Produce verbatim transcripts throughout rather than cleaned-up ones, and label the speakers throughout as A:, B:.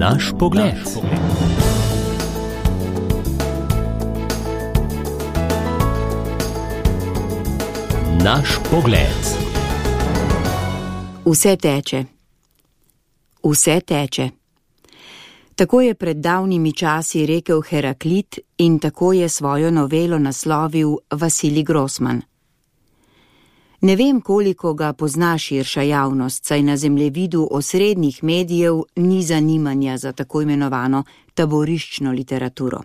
A: Naš pogled. Naš pogled.
B: Vse teče. Vse teče. Tako je pred davnimi časi rekel Heraklit in tako je svojo novelo naslovil Vasilij Grossman. Ne vem, koliko ga pozna širša javnost, saj na zemljevidu osrednjih medijev ni zanimanja za tako imenovano taboriščno literaturo.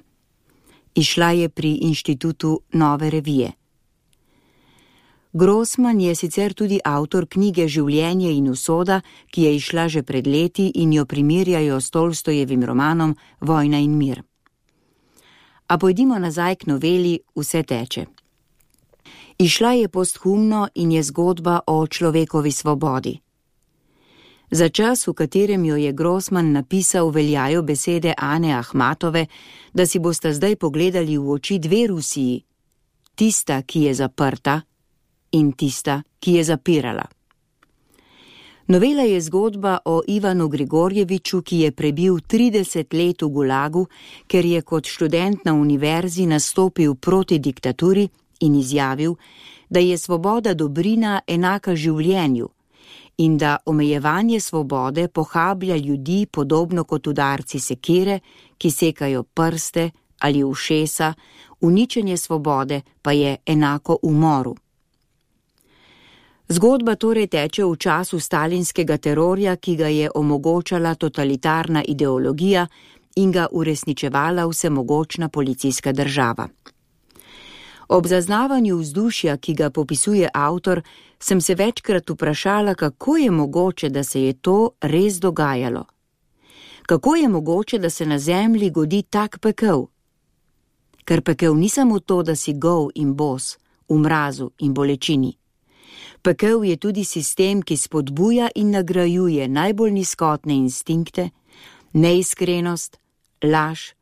B: Izšla je pri Inštitutu Nove revije. Grossman je sicer tudi avtor knjige Življenje in usoda, ki je izšla že pred leti in jo primerjajo s Tolstojevim romanom Vojna in mir. A pojdimo nazaj k noveli Vse teče. Izšla je posthumno in je zgodba o človekovi svobodi. Za čas, v katerem jo je Grossman napisal, veljajo besede Ane Ahmatove, da si boste zdaj pogledali v oči dve Rusiji, tista, ki je zaprta, in tista, ki je zapirala. Novela je zgodba o Ivanu Grigorjeviču, ki je prebil trideset let v Gulagu, ker je kot študent na univerzi nastopil proti diktaturi in izjavil, da je svoboda dobrina enaka življenju in da omejevanje svobode pohablja ljudi podobno kot udarci sekire, ki sekajo prste ali ušesa, uničenje svobode pa je enako umoru. Zgodba torej teče v času stalinskega terorja, ki ga je omogočala totalitarna ideologija in ga uresničevala vsemogočna policijska država. Ob zaznavanju vzdušja, ki ga popisuje avtor, sem se večkrat vprašala, kako je mogoče, da se je to res dogajalo. Kako je mogoče, da se na zemlji godi tak pekel? Ker pekel ni samo to, da si gol in bos, v mrazu in bolečini. Pekel je tudi sistem, ki spodbuja in nagrajuje najbolj nizkotne instinkte, neiskrenost, laž,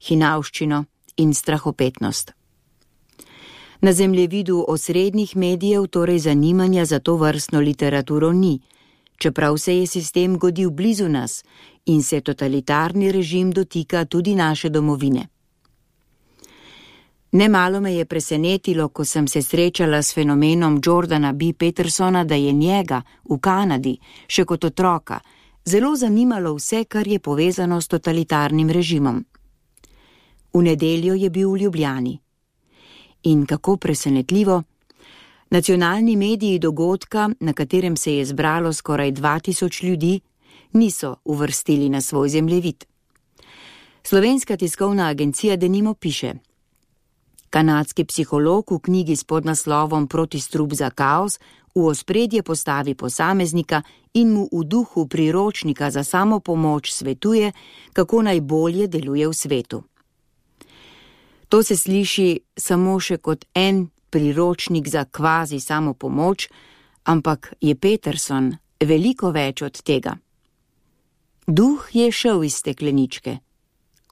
B: hinavščino in strahopetnost. Na zemljevidu osrednjih medijev torej zanimanja za to vrstno literaturo ni, čeprav se je sistem godil blizu nas in se totalitarni režim dotika tudi naše domovine. Nemalo me je presenetilo, ko sem se srečala s fenomenom Jordana B. Petersona, da je njega v Kanadi, še kot otroka, zelo zanimalo vse, kar je povezano s totalitarnim režimom. V nedeljo je bil v Ljubljani. In kako presenetljivo, nacionalni mediji dogodka, na katerem se je zbralo skoraj dva tisoč ljudi, niso uvrstili na svoj zemljevid. Slovenska tiskovna agencija denimo piše: kanadski psiholog v knjigi s podnaslovom Protistrup za kaos v ospredje postavi posameznika in mu v duhu priročnika za samopomoč svetuje, kako najbolje deluje v svetu. To se sliši samo še kot en priročnik za kvazi samopomoč, ampak je Peterson veliko več od tega. Duh je šel iz stekleničke.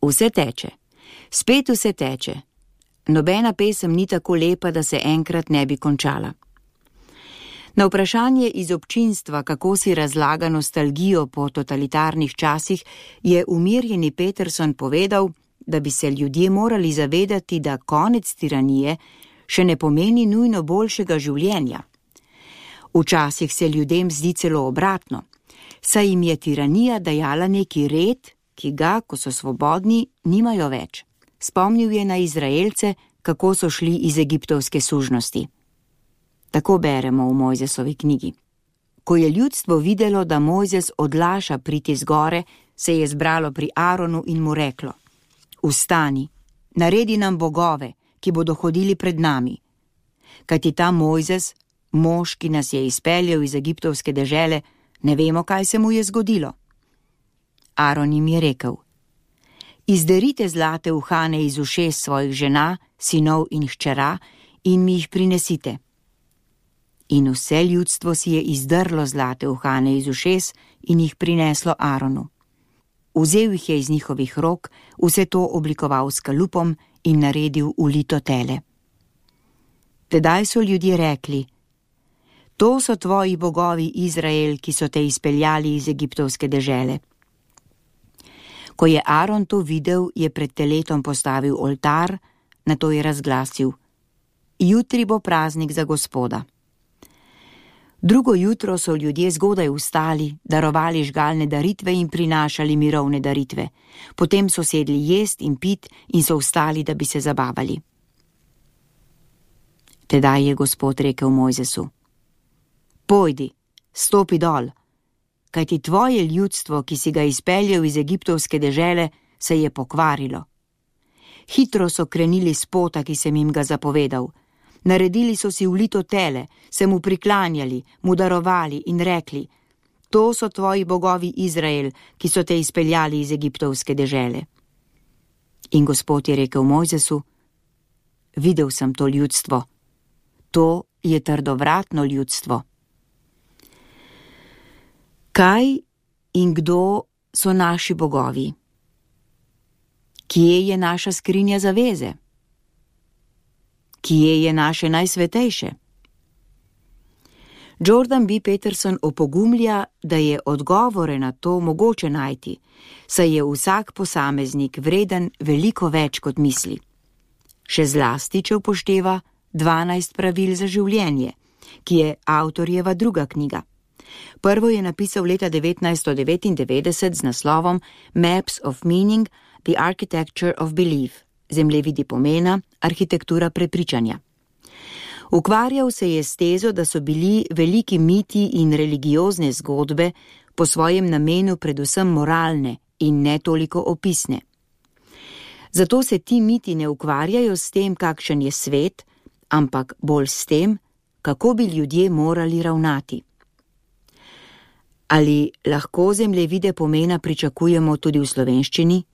B: Vse teče. Spet vse teče. Nobena pesem ni tako lepa, da se enkrat ne bi končala. Na vprašanje iz občinstva, kako si razlaga nostalgijo po totalitarnih časih, je umirjeni Peterson povedal, da bi se ljudje morali zavedati, da konec tiranije še ne pomeni nujno boljšega življenja. Včasih se ljudem zdi celo obratno, saj jim je tiranija dajala neki red, ki ga, ko so svobodni, nimajo več. Spomnil je na Izraelce, kako so šli iz egiptovske sužnosti. Tako beremo v Mojzesovi knjigi. Ko je ljudstvo videlo, da Mojzes odlaša priti z gore, se je zbralo pri Aronu in mu reklo: Vstani, naredi nam bogove, ki bodo hodili pred nami. Kajti ta Mojzes, mož, ki nas je izpeljal iz egiptovske dežele, ne vemo, kaj se mu je zgodilo. Aron jim je rekel: Izderite zlate uhane iz ušes svojih žena, sinov in hčera in mi jih prinesite. In vse ljudstvo si je izdrlo zlate uhane iz ušes in jih prineslo Aronu. Vzel jih je iz njihovih rok, vse to oblikoval s kalupom in naredil ulito tele. Tedaj so ljudje rekli: To so tvoji bogovi, Izrael, ki so te izpeljali iz egiptovske dežele. Ko je Aron to videl, je pred teletom postavil oltar, nato je razglasil: Jutri bo praznik za Gospoda. Drugo jutro so ljudje zgodaj vstali, darovali žgalne daritve in prinašali mirovne daritve. Potem so sedli jest in pit in so vstali, da bi se zabavali. Tedaj je Gospod rekel Mojzesu: Pojdi, stopi dol, kajti tvoje ljudstvo, ki si ga izpeljal iz egiptovske dežele, se je pokvarilo. Hitro so krenili s pota, ki sem jim ga zapovedal. Naredili so si ulito tele, se mu priklanjali, mu darovali in rekli: To so tvoji bogovi Izrael, ki so te izpeljali iz egiptovske dežele. In Gospod je rekel Mojzesu: Videl sem to ljudstvo. To je trdovratno ljudstvo. Kaj in kdo so naši bogovi? Kje je naša skrinja zaveze? Kje je naše najsvetejše? Jordan B. Peterson opogumlja, da je odgovore na to mogoče najti, saj je vsak posameznik vreden veliko več kot misli. Še zlasti, če upošteva dvanajst pravil za življenje, ki je avtorjeva druga knjiga. Prvo je napisal leta devetnajststo devetindevetdeset z naslovom Maps of Meaning, The Architecture of Belief, zemljevidi pomena, arhitektura prepričanja. Ukvarjal se je s tezo, da so bili veliki miti in religiozne zgodbe po svojem namenu predvsem moralne in ne toliko opisne. Zato se ti miti ne ukvarjajo s tem, kakšen je svet, ampak bolj s tem, kako bi ljudje morali ravnati. Ali lahko zemljevide pomena pričakujemo tudi v slovenščini?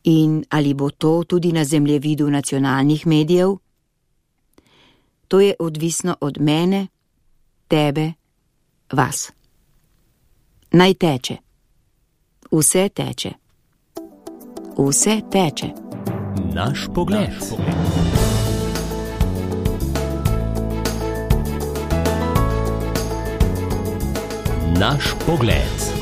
B: In ali bo to tudi na zemljevidu nacionalnih medijev? To je odvisno od mene, tebe, vas. Naj teče. Vse teče. Vse teče.
A: Naš pogled. Naš pogled.